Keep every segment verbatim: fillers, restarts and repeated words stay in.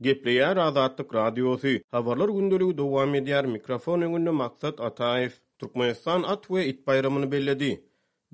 Gepleýär Azatlyk Radiosy. Habarlar gündeligi dowam edýär. Mikrofon öňünde Maksat Ataýew. Türkmenistan at we it baýramyny belledi.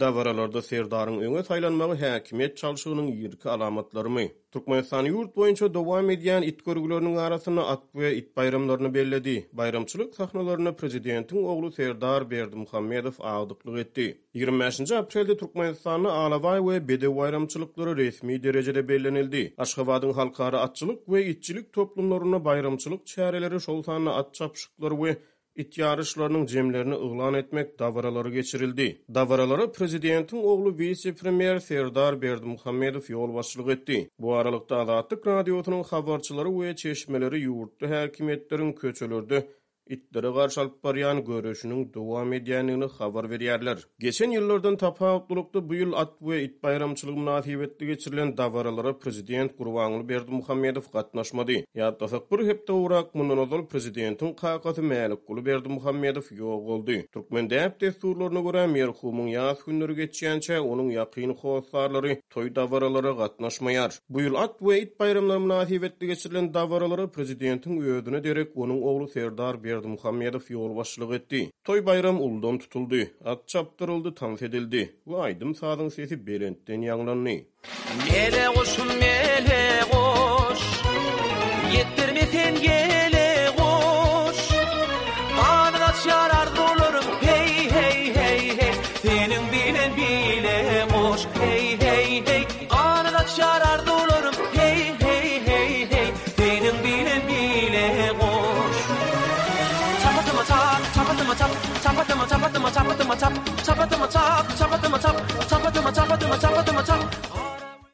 Dabaralarda Serdaryň öňe saýlanmagy häkimiýet çalşygynyň irki alamatlarymy? Türkmenistan ýurt boýunça dowam edýän it görgüleriniň arasynda at we it baýramlaryny belledi. Baýramçylyk sahnalarynda prezidentiň ogly Serdar Berdimuhamedow agdyklyk etdi. Ýigrimi bäşinji aprelde Türkmenistanda Alabaý we bedew baýramçylyklary resmi derejede bellenildi. Aşgabadyň halkara atçylyk we itçilik toplumlarynda baýramçylyk çäreleri, şol sanda at çapyşyklary we it ýaryşlarynyň jemlerini yglan etmek dabaralary geçirildi. Dabaralara prezidentiň ogly wise-premýer Serdar Berdimuhamedow ýolbaşçylyk etdi. Bu aralykda, Azatlyk Radiosynyň habarçylary we çeşmeleri ýurtda häkimiýetleriň köçelerde itlere garşy alyp barýan göreşiniň dowam edýändigini habar berýärler. Geçen ýyllardan tapawutlylykda, bu ýyl at we it baýramçylygy mynasybetli geçirilen dabaralara prezident Gurbanguly Berdimuhamedow gatnaşmady. Ýatlasak, bir hepde gowrak mundan ozal prezidentiň kakasy Mälikguly Berdimuhamedow ýogaldy. Türkmen däp-dessurlaryna görä, merhumyň ýas günleri geçýänçä, onuň ýakyn hossarlary toý-dabaralara gatnaşmaýar. Bu ýyl at we it baýramlary mynasybetli geçirilen dabaralara prezidentiň özüne derek onuň ogly Serdar Berdimuhamedow ýolbaşçylyk etdi. Toý-baýram uludan tutuldy, at çapdyryldy, tans edildi we aýdym-sazyň sesi belentden ýaňlandy. Mele guşum mele guş, Ýetdirme sen ýele guş. Ganat açýar arzuwlarym, heý, heý, heý, heý, Seniň bilen bile guş, heý, heý, heý, Ganat açýar arzuwlarym, heý, heý, heý, heý, Seniň bilen bile guş. Çapatyma çap, çapatyma çap, çapatyma çapatyma çapatyma çap, çapatyma çap, çapatyma çap, çapatyma çapatyma çapatyma çap.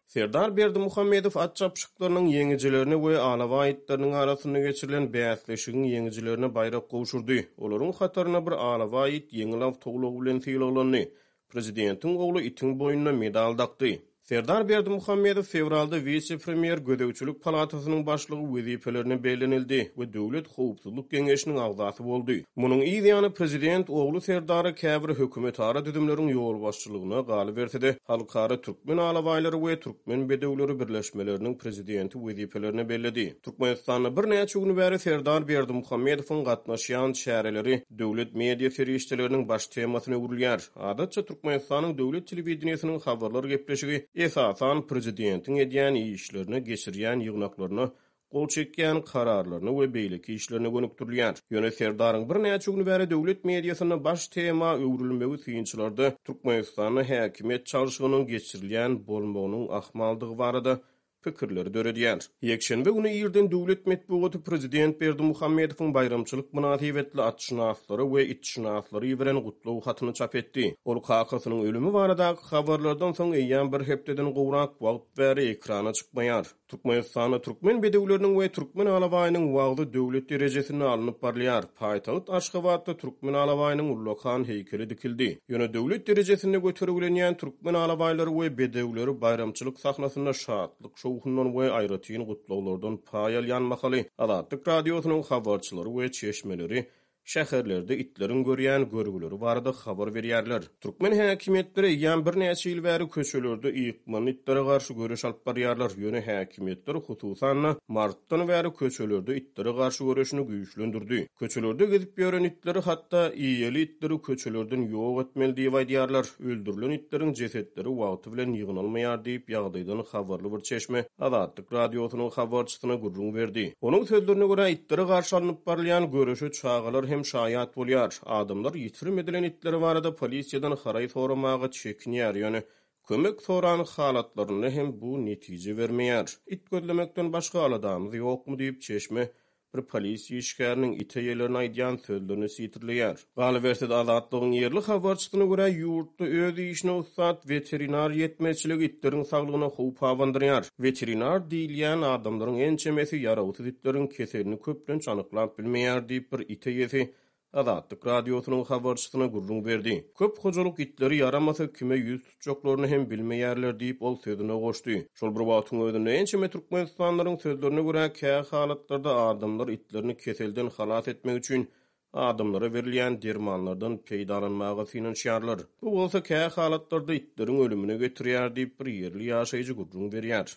Serdar Berdimuhamedow at çapyşyklarynyň ýeňijilerine we alabaý itleriniň arasynda geçirilen bäsleşigiň ýeňijilerine baýrak gowşurdy. Olaryň hatarynda bir alabaý it ýeňil awtoulag bilen sylaglandy. Prezidentiň ogly itiň boýnuna medal dakdy. Serdar Berdimuhamedow fewralda wise-premýer, Gözegçilik palatasynyň başlygy wezipelerine bellenildi we Döwlet howpsuzlyk geňeşiniň agzasy boldy. Munuň yz ýany prezident ogly Serdara käbir hökümetara düzümleriň ýolbaşçylygyna, galyberse-de, Halkara türkmen alabaýlary we türkmen bedewleri birleşmeleriniň prezidenti wezipelerine belledi. Türkmenistanda birnäçe gün bäri Serdar Berdimuhamedowyň gatnaşýan çäreleri döwlet media serişdeleriniň baş temasyna öwrülýär. Adatça, Türkmenistanyň döwlet telewideniýesiniň habarlar gepleşigi esasan prezidentiň edýän işlerine, geçirýän ýygnaklaryna, gol çekýän kararlaryna we beýleki işlerine gönükdirilýär. Ýöne Serdaryň birnäçe gün bäri döwlet mediasynda baş tema öwrülmegi synçylarda Türkmenistanda häkimiýet çalşygynyň geçirilýän bolmagynyň ahmaldygy barada pikirleri döredýär. Ýekşenbe güni irden döwlet metbugaty prezident Berdimuhamedowyň baýramçylyk mynasybetli atşynaslara we itşynaslara iberen gutlag hatyny çap etdi. Ol kakasynyň ölümi baradaky habarlardan soň eýýäm bir hepdeden gowrak wagt bäri ekrana çykmaýar. Türkmenistanda türkmen bedewleriniň we türkmen alabaýynyň wagzy döwlet derejesinde alnyp barylýar. Paýtagt Aşgabatda türkmen alabaýynyň ullakan heýkeli dikildi. Ýöne döwlet derejesinde götergilenýän türkmen alabaýlary we bedewleri baýramçylyk sahnasynda şatlyk-şowhundan we aýratyn gutlaglardan paý alýan mahaly Azatlyk Radiosynyň habarçylary we çeşmeleri şäherlerde itleriň görýän görgüleri barada habar berýärler. Türkmen häkimiýetleri eýýäm birnäçe ýyl bäri köçelerde ykmany itlere garşy göreş alyp barýarlar. Ýöne häkimiýetler, hususan-da, martdan bäri köçelerde itlere garşy göreşini güýçlendirdi. Köçelerde gezip ýören itleri, hatda eýeli itleri köçelerden ýok etmeli diýip aýdýarlar. Öldürilen itleriň jesetleri wagty bilen ýygnalmaýar diýip, ýagdaýdan habarly bir çeşme Azatlyk Radiosynyň habarçysyna gürrüň berdi. Onuň sözlerine görä, itlere garşy alnyp barylýan göreşe çagalar hem şaýat bolýar. Adamlar ýitirim edilen itleri barada polisiýadan haraý soramaga çekinýär, ýöne kömek soran halatlarynda hem bu netije bermeýär. It gözlemekden başga aladamyz ýokmy diýip, çeşme bir polisiýa işgäriniň it eýelerine aýdýan sözlerini sitirleýär. Galyberse-de, Azatlygyň ýerli habarçysyna görä, ýurtda öz işine ussat weterinar ýetmezçiligi itleriň saglygyna howp abandyrýar. Weterinar diýilýän adamlaryň ençemesi ýarawsyz itleriň keselini köplenç anyklap bilmeýär diýip, bir it eýesi Azatlyk Radiosynyň habarçysyna gürrüň berdi. Köp hojalyk itleri ýaramasa kime ýüz tutjaklaryny hem bilmeýärler diýip, ol sözüne goşdy. Şol bir wagtyň özünde, ençeme türkmenistanlylaryň sözlerine görä, kä halatlarda adamlar itlerini keselden halas etmek üçin adamlara berilýän dermanlardan peýdalanmaga synanyşýarlar. Bu bolsa kä halatlarda itleriň ölümine getirýär diýip, bir ýerli ýaşaýjy gürrüň berýär.